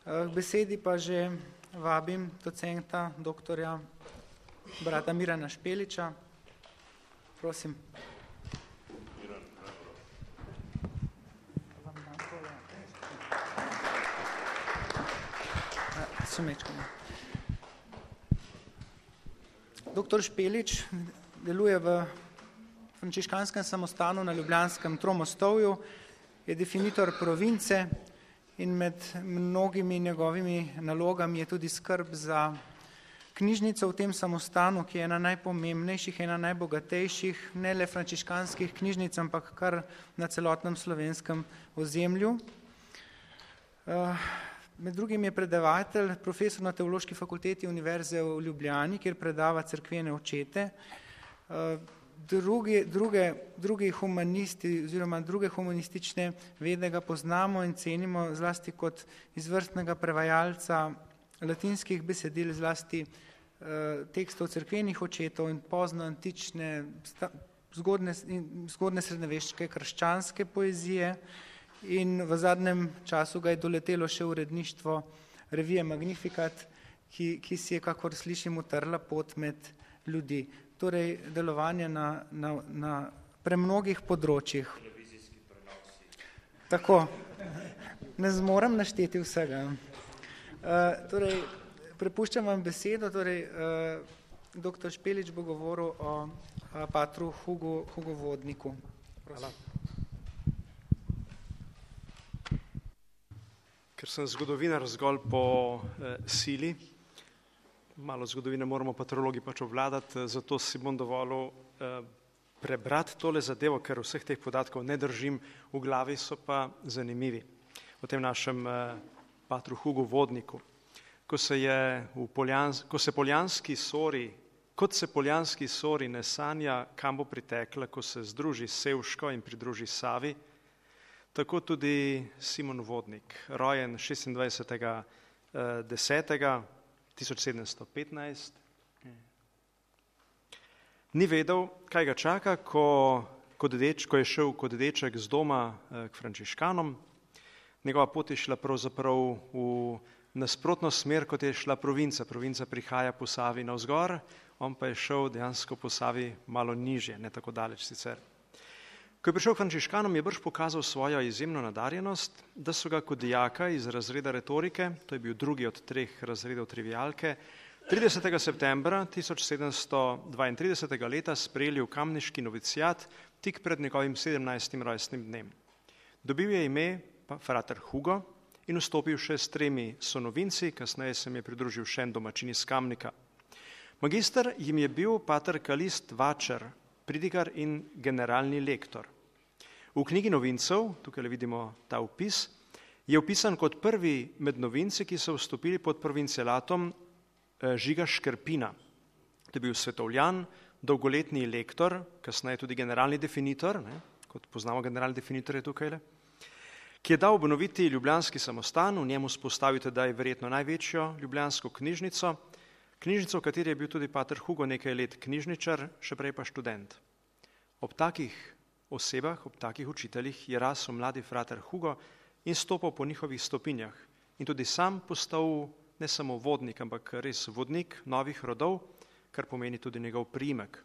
K besedi pa že vabim docenta, doktorja brata Mirana Špeliča. Prosim. Doktor Špelič deluje v frančiškanskem samostanu na Ljubljanskem Tromostovju, je definitor province in med mnogimi njegovimi nalogami je tudi skrb za knjižnico v tem samostanu, ki je ena najpomembnejših, ena najbogatejših, ne le frančiškanskih knjižnic, ampak kar na celotnem slovenskem ozemlju. Med drugim je predavatelj, profesor na Teološki fakulteti Univerze v Ljubljani, kjer predava cerkvene očete. Drugi humanisti oziroma druge humanistične vede ga poznamo in cenimo zlasti kot izvrstnega prevajalca latinskih besedil, zlasti tekstov cerkvenih očetov in poznoantične, zgodne srednjeveške krščanske poezije. In v zadnjem času ga je doletelo še uredništvo revije Magnificat, ki si je, kakor slišim, utrla pot med ljudi. Torej, delovanje na premnogih področjih. Tako, ne zmorem našteti vsega. Torej, prepuščam vam besedo, doktor Špelič bo govoril o patru Hugu Vodniku. Hvala. Ker sem zgodovinar zgolj po sili, malo zgodovine moramo patrologi pač obvladati, zato si bom dovolil prebrati tole zadevo, ker vseh teh podatkov ne držim v glavi, so pa zanimivi o tem našem patru Hugu Vodniku. Kot se poljanski sori ne sanja, kam bo pritekla, ko se združi s Sevško in pridruži Savi, tako tudi Simon Vodnik, rojen 26.10.1715, ni vedel, kaj ga čaka, ko je šel kot deček z doma k frančiškanom. Njegova pot je šla pravzaprav v nasprotno smer, kot je šla provinca. Provinca prihaja po Savi navzgor, on pa je šel dejansko po Savi malo nižje, ne tako daleč sicer. Ko je prišel k frančiškanom, je brž pokazal svojo izjemno nadarjenost, da so ga kot dijaka iz razreda retorike, to je bil drugi od 3 razredov trivialke, 30. septembra 1732. leta sprejeli v kamniški novicijat tik pred njegovim 17. rojstnim dnem. Dobil je ime frater Hugo in vstopil še s 3 sonovinci, kasneje se mi je pridružil še en domačin iz Kamnika. Magister jim je bil pater Kalist Vačer, pridigar in generalni lektor. V knjigi novincev, tukaj vidimo ta vpis, je vpisan kot prvi med novinci, ki so vstopili pod provincialatom Žiga Škrpina. To je bil svetovljan, dolgoletni lektor, kasneje tudi generalni definitor, kot poznamo generalni definitor je tukaj, ki je dal obnoviti ljubljanski samostan, v njemu spostavil tedaj verjetno največjo ljubljansko knjižnico, v kateri je bil tudi pater Hugo nekaj let knjižničar, še prej pa študent. Ob takih osebah, ob takih učiteljih je rasel mladi frater Hugo in stopal po njihovih stopinjah in tudi sam postal ne samo vodnik, ampak res vodnik novih rodov, kar pomeni tudi njegov priimek.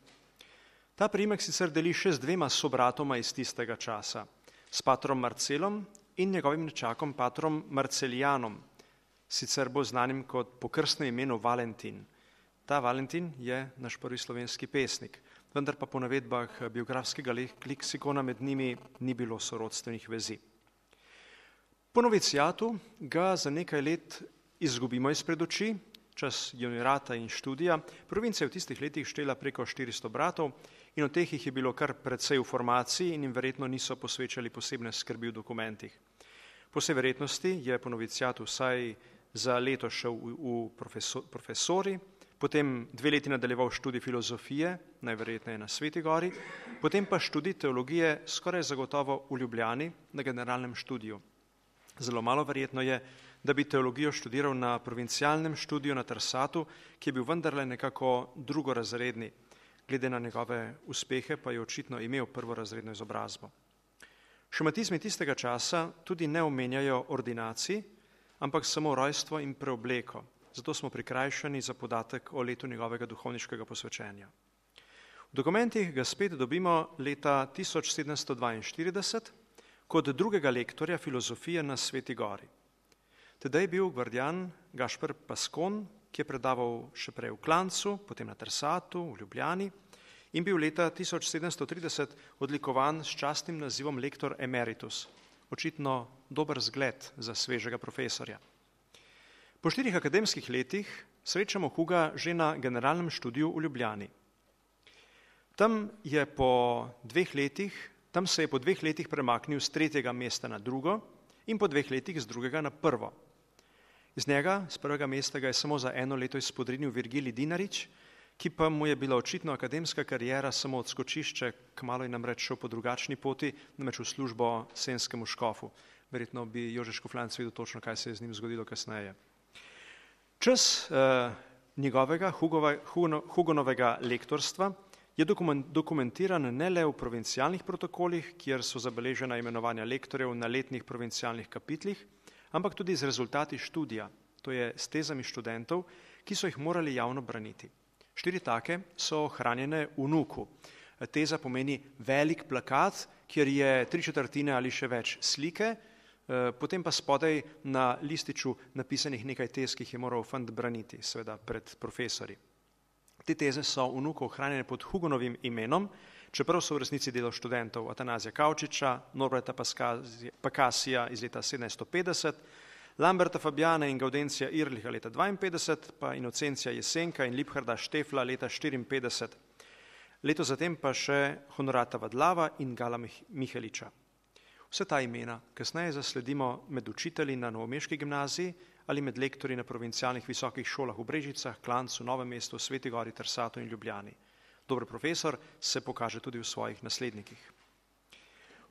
Ta priimek sicer deli še z 2 sobratoma iz tistega časa, s patrom Marcelom in njegovim nečakom patrom Marcelijanom, sicer bolj znanim kot po krstnem imenu Valentin. Ta Valentin je naš prvi slovenski pesnik, vendar pa po navedbah biografskega leksikona med njimi ni bilo sorodstvenih vezi. Po novicijatu ga za nekaj let izgubimo izpred oči, čas juniorata in študija. Provinca je v tistih letih štela preko 400 bratov in od teh jih je bilo kar precej v formaciji in jim verjetno niso posvečali posebne skrbi v dokumentih. Po vsej verjetnosti je po novicijatu vsaj za leto šel v profesori, potem 2 leti nadaljeval študij filozofije, najverjetneje na Sveti Gori, potem pa študij teologije skoraj zagotovo v Ljubljani na generalnem študiju. Zelo malo verjetno je, da bi teologijo študiral na provincialnem študiju na Trsatu, ki je bil vendarle nekako drugorazredni. Glede na njegove uspehe pa je očitno imel prvorazredno izobrazbo. Šematizmi tistega časa tudi ne omenjajo ordinacij, ampak samo rojstvo in preobleko. Zato smo prikrajšani za podatek o letu njegovega duhovniškega posvečenja. V dokumentih ga spet dobimo leta 1742 kot drugega lektorja filozofije na Sveti Gori. Tedaj je bil gvardijan Gašper Paskon, ki je predaval še prej v Klancu, potem na Trsatu, v Ljubljani in bil leta 1730 odlikovan s častnim nazivom lektor emeritus, očitno dober zgled za svežega profesorja. Po 4 akademskih letih srečamo Huga že na generalnem študiju v Ljubljani. Tam se je po 2 letih premaknil z 3. mesta na 2. in po 2 letih z 2. na 1. Iz njega, z 1. mesta, ga je samo za 1 leto izpodrinil Virgilij Dinarič, ki pa mu je bila očitno akademska kariera samo odskočišče, kmalu je namreč šel po drugačni poti, namreč v službo senskemu škofu. Verjetno bi Jože Škofljanc videl točno, kaj se je z njim zgodilo kasneje. Čas njegovega Hugonovega lektorstva je dokumentiran ne le v provincialnih protokolih, kjer so zabeležena imenovanja lektorjev na letnih provincialnih kapitlih, ampak tudi z rezultati študija, to je s tezami študentov, ki so jih morali javno braniti. 4 take so ohranjene v Nuku. Teza pomeni velik plakat, kjer je 3/4 ali še več slike, potem pa spodaj na lističu napisanih nekaj tez, ki jih je moral fant braniti, seveda pred profesori. Te teze so v Nuku ohranjene pod Hugonovim imenom, čeprav so v resnici delo študentov Atanazija Kavčiča, Norberta Pakasija iz leta 1750, Lamberta Fabjana in Gaudencija Irliha leta 52, pa Inocencija Jesenka in Liebharda Štefla leta 54. Leto zatem pa še Honorata Vadlava in Gala Miheliča. Vse ta imena kasneje zasledimo med učitelji na novomeški gimnaziji ali med lektorji na provincialnih visokih šolah v Brežicah, Klancu, Novem mestu, Sveti Gori, Trsatu in Ljubljani. Dober profesor se pokaže tudi v svojih naslednikih.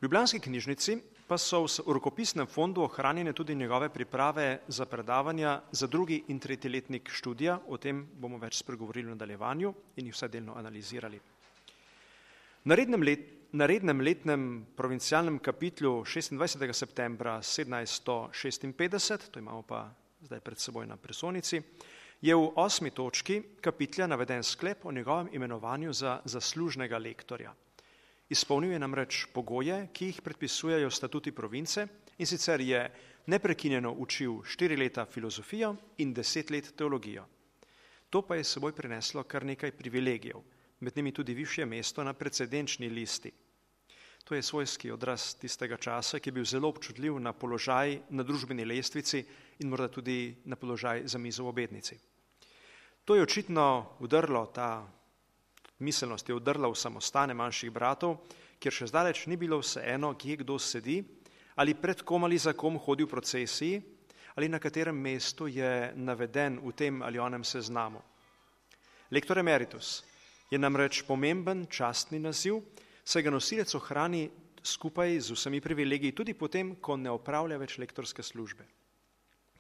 V ljubljanski knjižnici pa so v rokopisnem fondu ohranjene tudi njegove priprave za predavanja za 2. in 3. letnik študija, o tem bomo več spregovorili v nadaljevanju in jih vsaj delno analizirali. Na rednem letnem provincialnem kapitlu 26. septembra 1756, to imamo pa zdaj pred seboj na presonici, je v 8. točki kapitlja naveden sklep o njegovem imenovanju za zaslužnega lektorja. Izpolnil je namreč pogoje, ki jih predpisujejo statuti province, in sicer je neprekinjeno učil 4 leta filozofijo in 10 let teologijo. To pa je s seboj prineslo kar nekaj privilegijev, med njimi tudi višje mesto na precedenčni listi. To je svojski odraz tistega časa, ki je bil zelo občutljiv na položaj na družbeni lestvici in morda tudi na položaj za mizo v obednici. To je očitno udrlo, ta miselnost je udrla v samostane manjših bratov, kjer še zdaleč ni bilo vseeno, kje kdo sedi, ali pred kom ali za kom hodi v procesiji, ali na katerem mestu je naveden v tem ali onem seznamu. Lektor emeritus je namreč pomemben častni naziv, saj ga nosilec ohrani skupaj z vsemi privilegiji tudi potem, ko ne opravlja več lektorske službe.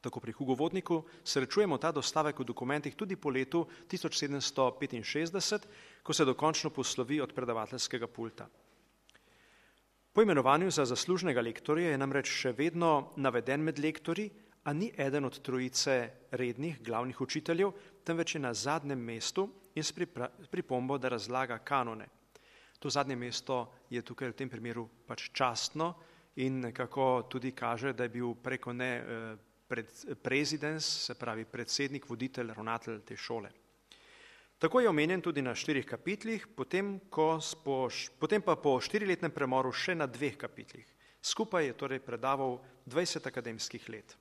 Tako pri Hugovodniku srečujemo ta dostavek v dokumentih tudi po letu 1765, ko se dokončno poslovi od predavateljskega pulta. Po imenovanju za zaslužnega lektorja je namreč še vedno naveden med lektorji, a ni eden od trojice rednih glavnih učiteljev, temveč je na zadnjem mestu in s pripombo, da razlaga kanone. To zadnje mesto je tukaj v tem primeru pač častno in nekako tudi kaže, da je bil preko prezidens, se pravi predsednik, voditelj, ravnatelj te šole. Tako je omenjen tudi na 4 kapitlih, potem pa po 4-letnem premoru še na 2 kapitlih. Skupaj je torej predaval 20 akademskih let.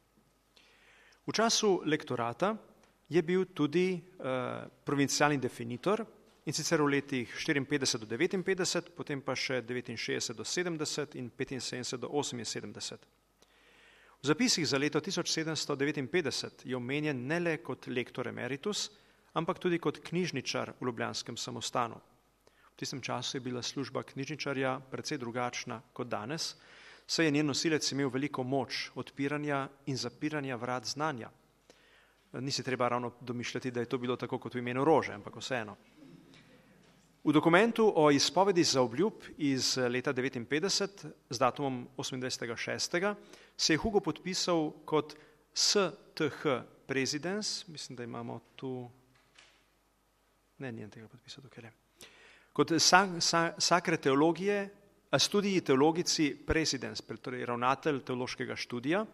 V času lektorata je bil tudi provincialni definitor, in sicer v letih 54 do 59, potem pa še 69 do 70 in 75 do 78. V zapisih za leto 1759 je omenjen ne le kot lektor emeritus, ampak tudi kot knjižničar v ljubljanskem samostanu. V tistem času je bila služba knjižničarja precej drugačna kot danes, saj je njen nosilec imel veliko moč odpiranja in zapiranja vrat znanja. Ni se treba ravno domišljati, da je to bilo tako kot v imenu Rože, ampak vseeno. V dokumentu o izpovedi za obljub iz leta 1959 z datumom 28.6. se je Hugo podpisal kot STH Presidens, mislim, da imamo tu, ne, nijem tega podpisa tukaj, kot Sacre Teologije, studiji teologici Presidens, torej ravnatelj teološkega študija,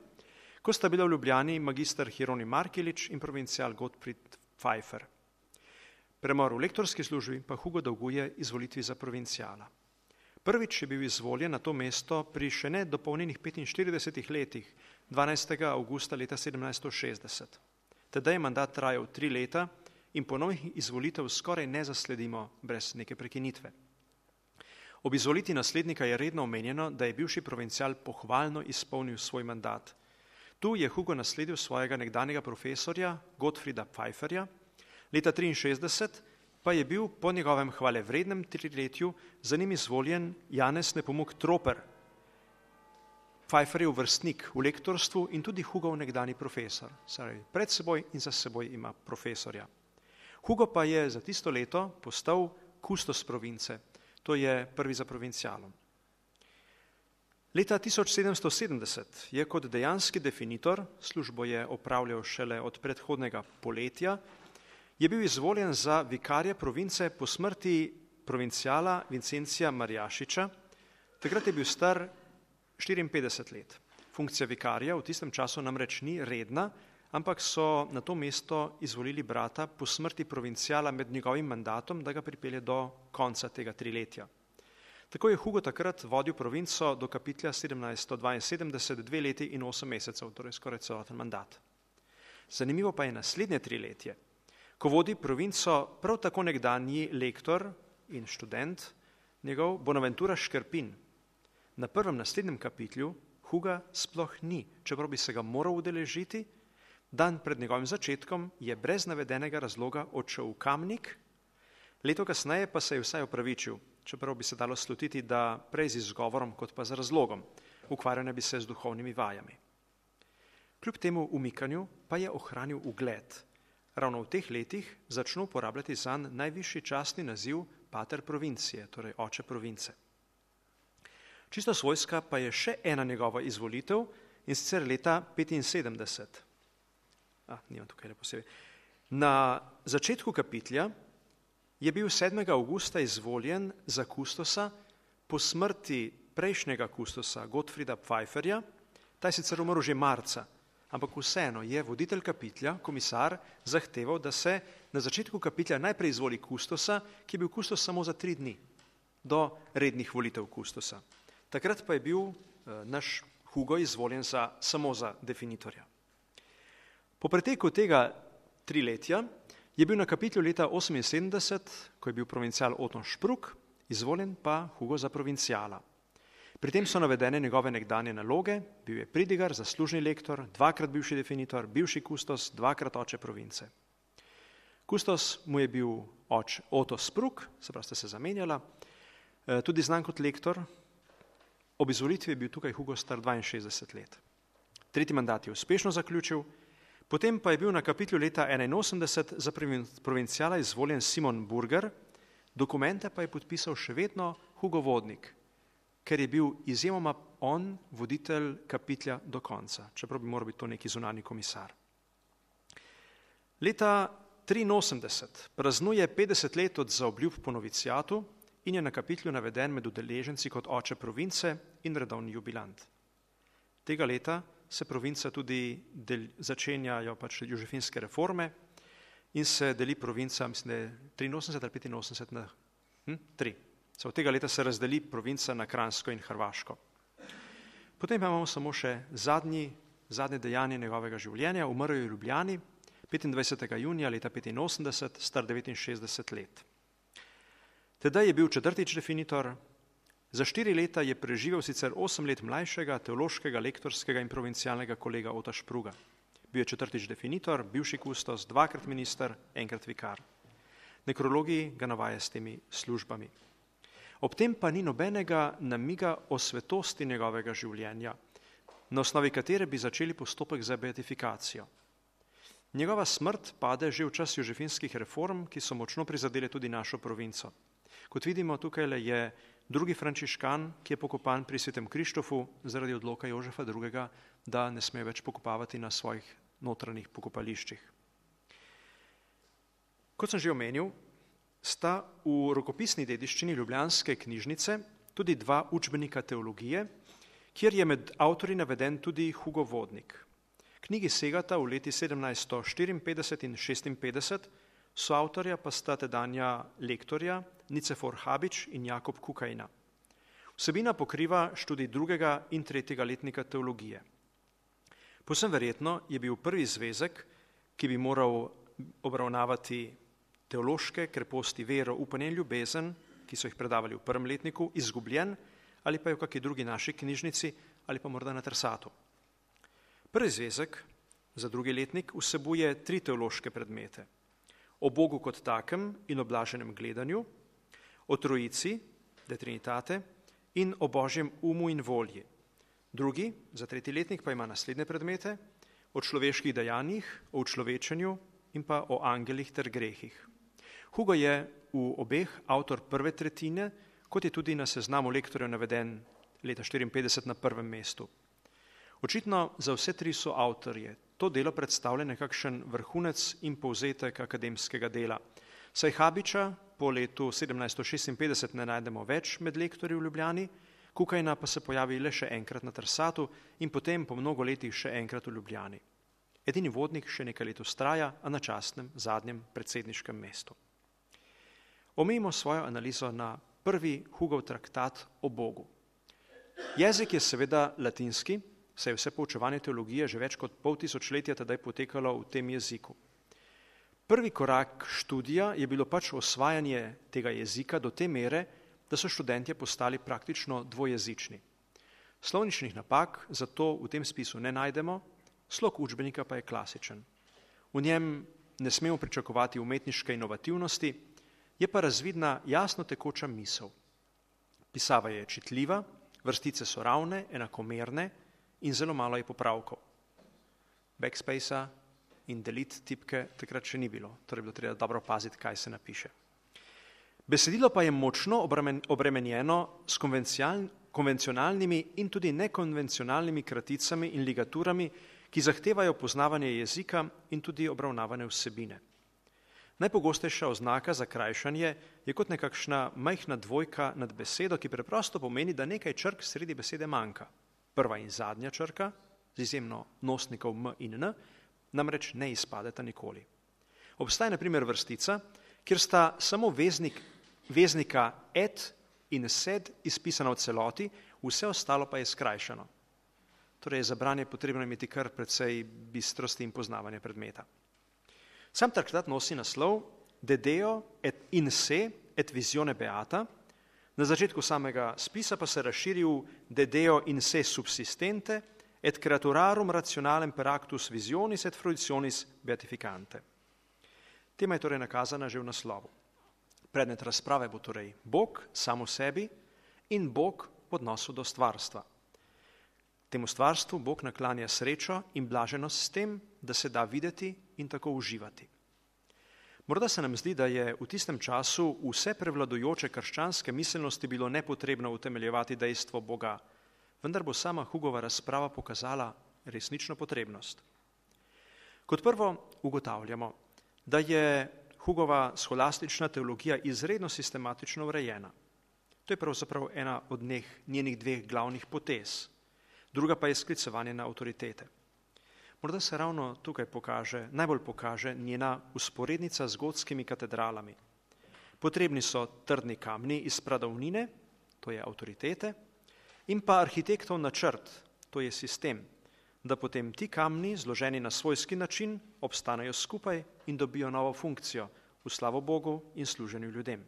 ko sta bila v Ljubljani magister Hieronim Markelič in provincial Gottfried Pfeiffer. Premor v lektorski službi pa Hugo dolguje izvolitvi za provinciala. Prvič je bil izvoljen na to mesto pri še ne dopolnjenih 45 letih, 12. avgusta leta 1760. Tedaj je mandat trajal 3 leta in ponovnih izvolitev skoraj ne zasledimo brez neke prekinitve. Ob izvolitvi naslednika je redno omenjeno, da je bivši provincial pohvalno izpolnil svoj mandat. Tu je Hugo nasledil svojega nekdanjega profesorja Gottfrieda Pfeifferja, leta 1963 pa je bil po njegovem hvalevrednem 3-letju za njim izvoljen Janez Nepomuk Troper, Pfeifferjev vrstnik v lektorstvu in tudi Hugov nekdanji profesor. Pred seboj in za seboj ima profesorja. Hugo pa je za tisto leto postal kustos province, to je prvi za provincialom. Leta 1770 je kot dejanski definitor, službo je opravljal šele od predhodnega poletja, je bil izvoljen za vikarja province po smrti provinciala Vincencija Marjašiča. Takrat je bil star 54 let. Funkcija vikarja v tistem času namreč ni redna, ampak so na to mesto izvolili brata po smrti provinciala med njegovim mandatom, da ga pripelje do konca tega 3-letja. Tako je Hugo takrat vodil provinco do kapitlja 1772, 2 leti in 8 mesecev, torej skoraj celoten mandat. Zanimivo pa je naslednje 3-letje, ko vodi provinco prav tako nekdanji lektor in študent, njegov Bonaventura Škrpin. Na prvem naslednjem kapitlju Huga sploh ni, čeprav bi se ga moral udeležiti, dan pred njegovim začetkom je brez navedenega razloga odšel v Kamnik, leto kasneje pa se je vsaj opravičil, čeprav bi se dalo slutiti, da prej z izgovorom kot pa z razlogom, ukvarjanja bi se z duhovnimi vajami. Kljub temu umikanju pa je ohranil ugled. Ravno v teh letih začnu uporabljati zanj najvišji častni naziv pater provincije, torej oče province. Čisto svojska pa je še ena njegova izvolitev in sicer leta 75. Nimam tukaj posebej. Na začetku kapitlja je bil 7. avgusta izvoljen za kustosa po smrti prejšnjega kustosa Gottfrieda Pfeifferja, ta je sicer umrl že marca, ampak vseeno je voditelj kapitlja, komisar, zahteval, da se na začetku kapitlja najprej izvoli kustosa, ki je bil kustos samo za 3 dni, do rednih volitev kustosa. Takrat pa je bil naš Hugo izvoljen samo za definitorja. Po preteku tega 3-letja je bil na kapitlju leta 78, ko je bil provincial Oton Špruk, izvoljen pa Hugo za provinciala. Pri tem so navedene njegove nekdanje naloge, bil je pridigar, zaslužni lektor, 2-krat bivši definitor, bivši kustos, 2-krat oče province. Kustos mu je bil Oto Spruk, se pravi, sta se zamenjala, tudi znan kot lektor. Ob izvolitvi je bil tukaj Hugo star 62 let. 3. mandat je uspešno zaključil, potem pa je bil na kapitlju leta 81 za provinciala izvoljen Simon Burger, dokumente pa je podpisal še vedno Hugo Vodnik, ker je bil izjemoma on voditelj kapitlja do konca, čeprav bi moral biti to neki zunanji komisar. Leta 83 praznuje 50 let od zaobljub po noviciatu in je na kapitlju naveden med udeleženci kot oče province in redovni jubilant. Tega leta se provinca tudi začenjajo jožefinske reforme in se deli provinca, mislim, da je 83 ali 85 na 3. Od tega leta se razdeli provinca na Kranjsko in Hrvaško. Potem pa imamo samo še zadnje dejanje njegovega življenja. Umrl je v Ljubljani 25. junija leta 85, star 69 let. Tedaj je bil 4. definitor, za 4 leta je preživel sicer 8 let mlajšega teološkega, lektorskega in provincialnega kolega Ota Špruga. Bil je 4. definitor, bivši kustos, 2-krat minister, 1-krat vikar. Nekrologiji ga navaja s temi službami. Ob tem pa ni nobenega namiga o svetosti njegovega življenja, na osnovi katere bi začeli postopek za beatifikacijo. Njegova smrt pade že v čas jožefinskih reform, ki so močno prizadele tudi našo provinco. Kot vidimo, tukaj je drugi frančiškan, ki je pokopan pri Svetem Krištofu zaradi odloka Jožefa II. da ne smejo več pokopavati na svojih notranjih pokopališčih. Kot sem že omenil, sta v rokopisni dediščini ljubljanske knjižnice tudi dva učbenika teologije, kjer je med avtorji naveden tudi Hugo Vodnik. Knjigi segata v leti 1754 in 56, soavtorja pa sta tedanja lektorja Nicefor Habič in Jakob Kukajna. Vsebina pokriva študij 2. in 3. letnika teologije. Povsem verjetno je bil prvi zvezek, ki bi moral obravnavati teološke kreposti vero, upanje in ljubezen, ki so jih predavali v 1. letniku, izgubljen ali pa je v kakšni drugi naši knjižnici ali pa morda na Trsatu. Prvi zvezek za 2. letnik vsebuje 3 teološke predmete. O Bogu kot takem in o blaženem gledanju, o Trojici, de Trinitate, in o Božjem umu in volji. Drugi, za 3. letnik, pa ima naslednje predmete, o človeških dejanjih, o učlovečenju in pa o angelih ter grehih. Hugo je v obeh avtor prve tretjine, kot je tudi na seznamu lektorjev naveden leta 54 na 1. mestu. Očitno za vse 3 so avtorje. To delo predstavlja nekakšen vrhunec in povzetek akademskega dela. Saj Habiča po letu 1756 ne najdemo več med lektorji v Ljubljani, Kukajna pa se pojavi le še enkrat na Trsatu in potem po mnogo letih še enkrat v Ljubljani. Edini Vodnik še nekaj let vztraja, a na častnem zadnjem predsedniškem mestu. Omejimo svojo analizo na prvi Hugov traktat o Bogu. Jezik je seveda latinski, saj je vse poučevanje teologije že več kot pol tisočletja tedaj potekalo v tem jeziku. Prvi korak študija je bilo pač osvajanje tega jezika do te mere, da so študentje postali praktično dvojezični. Slovničnih napak zato v tem spisu ne najdemo, slog učbenika pa je klasičen. V njem ne smemo pričakovati umetniške inovativnosti, je pa razvidna jasno tekoča misel. Pisava je čitljiva, vrstice so ravne, enakomerne in zelo malo je popravkov. Backspacea in delete tipke takrat še ni bilo, torej bilo treba dobro paziti, kaj se napiše. Besedilo pa je močno obremenjeno s konvencionalnimi in tudi nekonvencionalnimi kraticami in ligaturami, ki zahtevajo poznavanje jezika in tudi obravnavane vsebine. Najpogostejša oznaka za krajšanje je kot nekakšna majhna dvojka nad besedo, ki preprosto pomeni, da nekaj črk sredi besede manjka. Prva in zadnja črka, z izjemno nosnikov m in n, namreč ne izpadeta nikoli. Obstaja na primer vrstica, kjer sta samo veznika et in sed izpisana v celoti, vse ostalo pa je skrajšano. Torej za branje potrebno imeti kar precej bistrosti in poznavanja predmeta. Sam traktat nosi naslov De Deo et in se et visione beata, na začetku samega spisa pa se razširi v De Deo in se subsistente et creaturarum rationalem per actus visionis et fruitionis beatificante. Tema je torej nakazana že v naslovu. Predmet razprave bo torej Bog sam v sebi in Bog v odnosu do stvarstva. Temu stvarstvu Bog naklanja srečo in blaženost s tem, da se da videti in tako uživati. Morda se nam zdi, da je v tistem času vse prevladujoče krščanske miselnosti bilo nepotrebno utemeljevati dejstvo Boga, vendar bo sama Hugova razprava pokazala resnično potrebnost. Kot prvo ugotavljamo, da je Hugova scholastična teologija izredno sistematično urejena. To je pravzaprav ena od njenih 2 glavnih potez. Druga pa je sklicevanje na avtoritete. Morda se ravno tukaj najbolj pokaže njena usporednica z gotskimi katedralami. Potrebni so trdni kamni iz pradavnine, to je avtoritete, in pa arhitektov načrt, to je sistem, da potem ti kamni, zloženi na svojski način, obstanejo skupaj in dobijo novo funkcijo v slavo Bogu in služenju ljudem.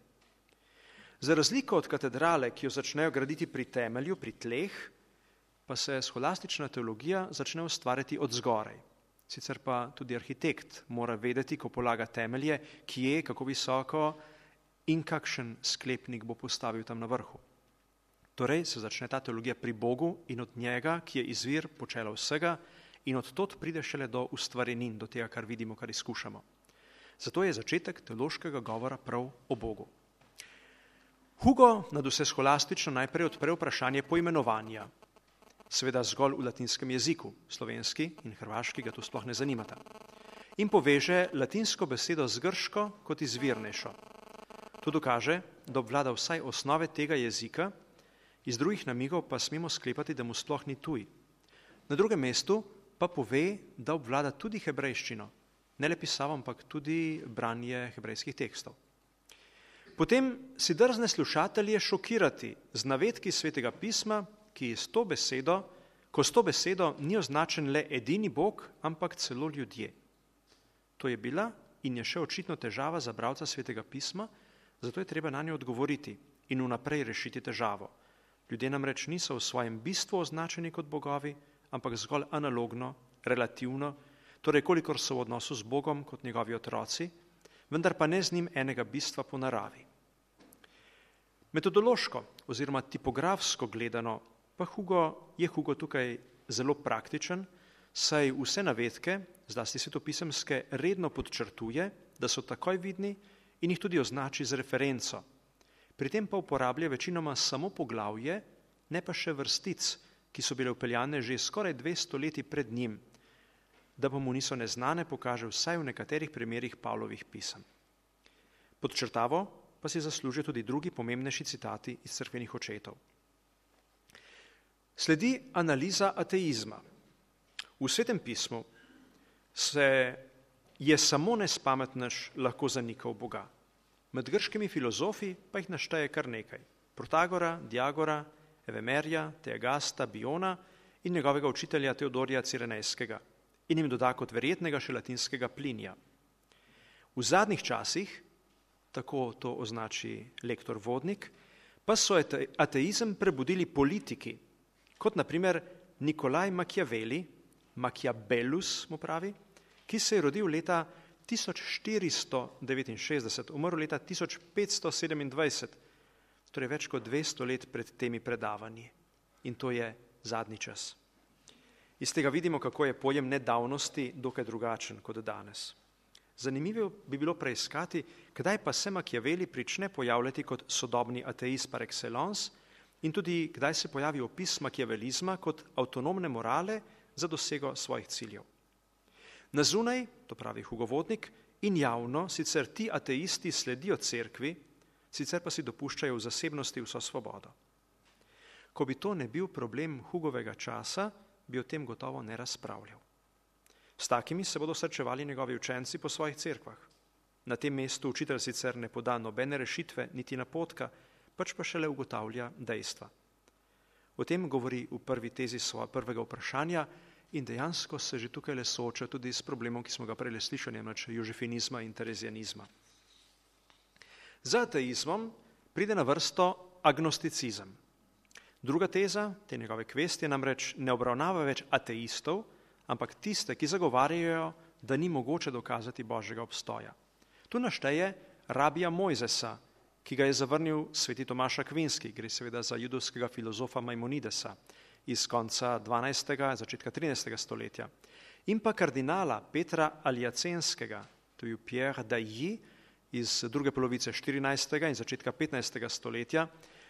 Za razliko od katedrale, ki jo začnejo graditi pri temelju, pri tleh, pa se scholastična teologija začne ustvarjati od zgoraj. Sicer pa tudi arhitekt mora vedeti, ko polaga temelje, kje, kako visoko in kakšen sklepnik bo postavil tam na vrhu. Torej se začne ta teologija pri Bogu in od njega, ki je izvir počela vsega, in od tod pride šele do ustvarjenin, do tega, kar vidimo, kar izkušamo. Zato je začetek teološkega govora prav o Bogu. Hugo nad vse scholastično najprej odpre vprašanje poimenovanja. seveda zgolj v latinskem jeziku, slovenski in hrvaški ga to sploh ne zanimata. In poveže latinsko besedo z grško kot izvirnejšo. To dokaže, da obvlada vsaj osnove tega jezika, iz drugih namigov pa smemo sklepati, da mu sploh ni tuj. Na drugem mestu pa pove, da obvlada tudi hebrejščino, ne le pisavo, ampak tudi branje hebrejskih tekstov. Potem si drzne slušatelje šokirati z navedki Svetega pisma, ki s to besedo ni označen le edini Bog, ampak celo ljudje. To je bila in je še očitno težava za bralca Svetega pisma, zato je treba na njo odgovoriti in vnaprej rešiti težavo. Ljudje namreč niso v svojem bistvu označeni kot bogovi, ampak zgolj analogno, relativno, torej kolikor so v odnosu z Bogom kot njegovi otroci, vendar pa ne z njim enega bistva po naravi. Metodološko oziroma tipografsko gledano pa je Hugo tukaj zelo praktičen, saj vse navedke, zlasti svetopisemske, redno podčrtuje, da so takoj vidni in jih tudi označi z referenco. Pri tem pa uporablja večinoma samo poglavje, ne pa še vrstic, ki so bile vpeljane že skoraj 200 leti pred njim, da pa mu niso neznane, pokaže vsaj v nekaterih primerih Pavlovih pisem. Podčrtavo pa si zaslužijo tudi drugi pomembnejši citati iz cerkvenih očetov. Sledi analiza ateizma. V Svetem pismu je samo nespametnež lahko zanikal Boga. Med grškimi filozofi pa jih našteje kar nekaj. Protagora, Diagora, Evemerja, Teagasta, Biona in njegovega učitelja Teodorija Cirenejskega in jim doda kot verjetnega še latinskega Plinija. V zadnjih časih, tako to označi lektor Vodnik, pa so ateizem prebudili politiki, kot na primer Nikolaj Machiavellus mu pravi, ki se je rodil leta 1469, umrl leta 1527, torej več kot 200 let pred temi predavanji. In to je zadnji čas. Iz tega vidimo, kako je pojem nedavnosti dokaj drugačen kot danes. Zanimivo bi bilo preiskati, kdaj pa se Machiavelli prične pojavljati kot sodobni ateist par excellence in tudi kdaj se pojavi opis machiavellizma kot avtonomne morale za dosego svojih ciljev. Na zunaj, to pravi Hugo Vodnik, in javno sicer ti ateisti sledijo cerkvi, sicer pa si dopuščajo v zasebnosti vso svobodo. Ko bi to ne bil problem Hugovega časa, bi o tem gotovo ne razpravljal. S takimi se bodo srečevali njegovi učenci po svojih cerkvah. Na tem mestu učitelj sicer ne poda nobene rešitve, niti napotka, pač pa šele ugotavlja dejstva. O tem govori v prvi tezi svojega prvega vprašanja in dejansko se že tukaj le sooča tudi s problemom, ki smo ga prej slišali, namreč jožefinizma in terezijanizma. Za ateizmom pride na vrsto agnosticizem. Druga teza te njegove kvestije namreč ne obravnava več ateistov, ampak tiste, ki zagovarjajo, da ni mogoče dokazati Božjega obstoja. Tu našteje rabija Mojzesa, ki ga je zavrnil sveti Tomaš Akvinski, gre seveda za judovskega filozofa Maimonidesa iz konca 12. začetka 13. stoletja, in pa kardinala Petra Aljacenskega, to je Pierre d'Ailly iz druge polovice 14. in začetka 15. stoletja,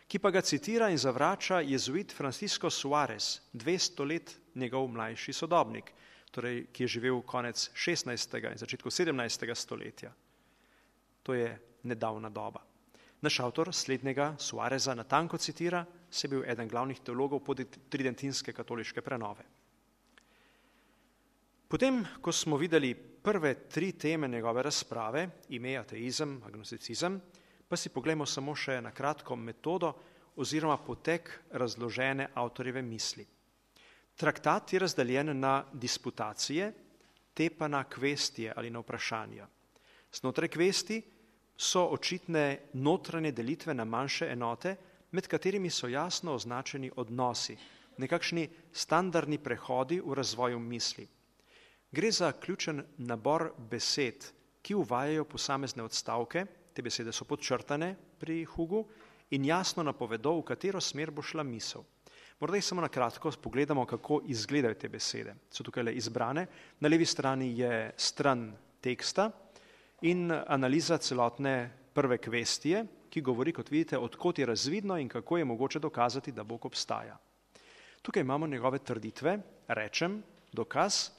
ki pa ga citira in zavrača jezuit Francisco Suarez, 200 let njegov mlajši sodobnik, torej ki je živel konec 16. in začetku 17. stoletja. To je nedavna doba. Naš avtor slednjega Suareza natanko citira, se je bil eden glavnih teologov tridentinske katoliške prenove. Potem, ko smo videli prve 3 teme njegove razprave, ime, ateizem, agnosticizem, pa si poglejmo samo še na kratko metodo oziroma potek razložene avtorjeve misli. Traktat je razdeljen na disputacije, te pa na kvestije ali na vprašanja. Znotraj kvesti so očitne notranje delitve na manjše enote, med katerimi so jasno označeni odnosi, nekakšni standardni prehodi v razvoju misli. Gre za ključen nabor besed, ki uvajajo posamezne odstavke, te besede so podčrtane pri Hugu in jasno napovedo, v katero smer bo šla misel. Morda jih samo na kratko pogledamo, kako izgledajo te besede. So tukaj le izbrane. Na levi strani je stran teksta in analiza celotne prve kvestije, ki govori, kot vidite, odkot je razvidno in kako je mogoče dokazati, da Bog obstaja. Tukaj imamo njegove trditve, rečem, dokaz,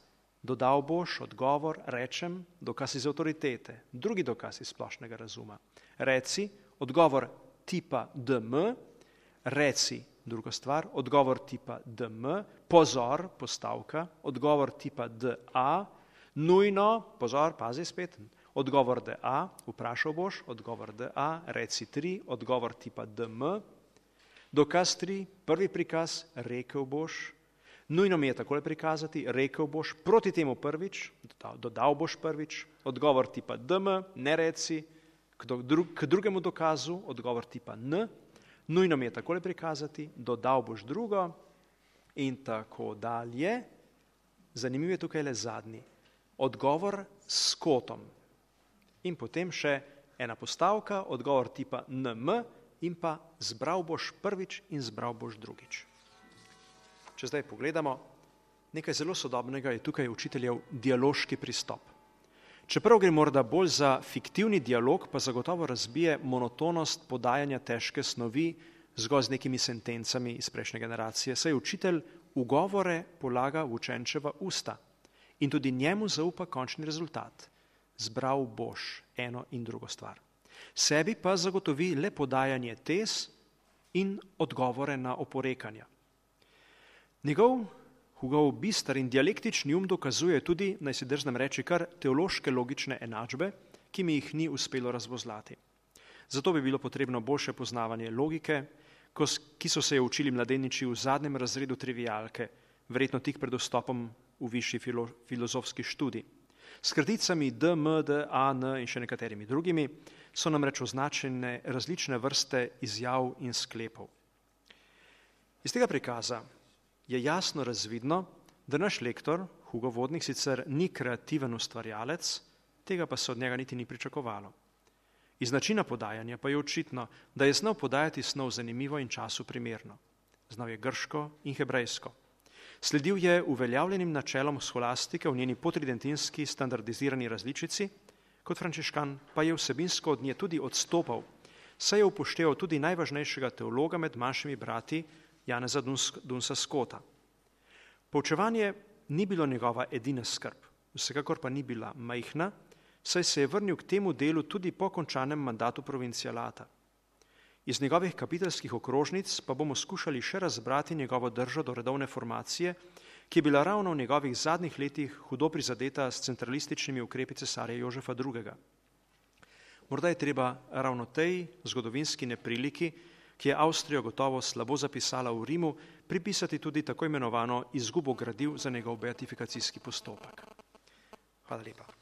dodal boš, odgovor, rečem, dokaz iz avtoritete, drugi dokaz iz splošnega razuma. Reci, odgovor tipa DM, reci, druga stvar, odgovor tipa DM, pozor, postavka, odgovor tipa DA, nujno, pozor, pazi spet, odgovor DA, vprašal boš, odgovor DA, reci 3, odgovor tipa DM, dokaz 3, prvi prikaz, rekel boš, nujno mi je takole prikazati, rekel boš, proti temu prvič, dodal boš prvič, odgovor tipa DM, ne reci, k drugemu dokazu, odgovor tipa N, nujno mi je takole prikazati, dodal boš drugo in tako dalje. Zanimiv je tukaj le zadnji, odgovor s kotom. In potem še ena postavka, odgovor tipa NM in pa zbral boš prvič in zbral boš drugič. Če zdaj pogledamo, nekaj zelo sodobnega je tukaj učiteljev dialoški pristop. Čeprav gre morda bolj za fiktivni dialog, pa zagotovo razbije monotonost podajanja težke snovi zgolj z nekimi sentencami iz prejšnje generacije, saj učitelj ugovore polaga v učenčeva usta in tudi njemu zaupa končni rezultat. Zbral boš eno in drugo stvar. Sebi pa zagotovi le podajanje tez in odgovore na oporekanja. Njegov Hugov bister in dialektični dokazuje tudi, naj si drznem reči, kar teološke logične enačbe, ki mi jih ni uspelo razvozlati. Zato bi bilo potrebno boljše poznavanje logike, ki so se jo učili mladeniči v zadnjem razredu trivialke, verjetno tik pred vstopom v višji filozofski študij. S kraticami D, M, D, A, N in še nekaterimi drugimi so namreč označene različne vrste izjav in sklepov. Iz tega prikaza je jasno razvidno, da naš lektor, Hugo Vodnik, sicer ni kreativen ustvarjalec, tega pa se od njega niti ni pričakovalo. Iz načina podajanja pa je očitno, da je znal podajati snov zanimivo in času primerno. Znal je grško in hebrejsko. Sledil je uveljavljenim načelom sholastike v njeni potridentinski standardizirani različici, kot frančiškan pa je vsebinsko od nje tudi odstopal, saj je upošteval tudi najvažnejšega teologa med manjšimi brati Janeza Dunsa Scotta. Poučevanje ni bilo njegova edina skrb, vsekakor pa ni bila majhna, saj se je vrnil k temu delu tudi po končanem mandatu provincialata. Iz njegovih kapitelskih okrožnic pa bomo skušali še razbrati njegovo držo do redovne formacije, ki je bila ravno v njegovih zadnjih letih hudo prizadeta s centralističnimi ukrepi cesarja Jožefa II. Morda je treba ravno tej zgodovinski nepriliki, ki je Avstrijo gotovo slabo zapisala v Rimu, pripisati tudi tako imenovano izgubo gradiv za njegov beatifikacijski postopek. Hvala lepa.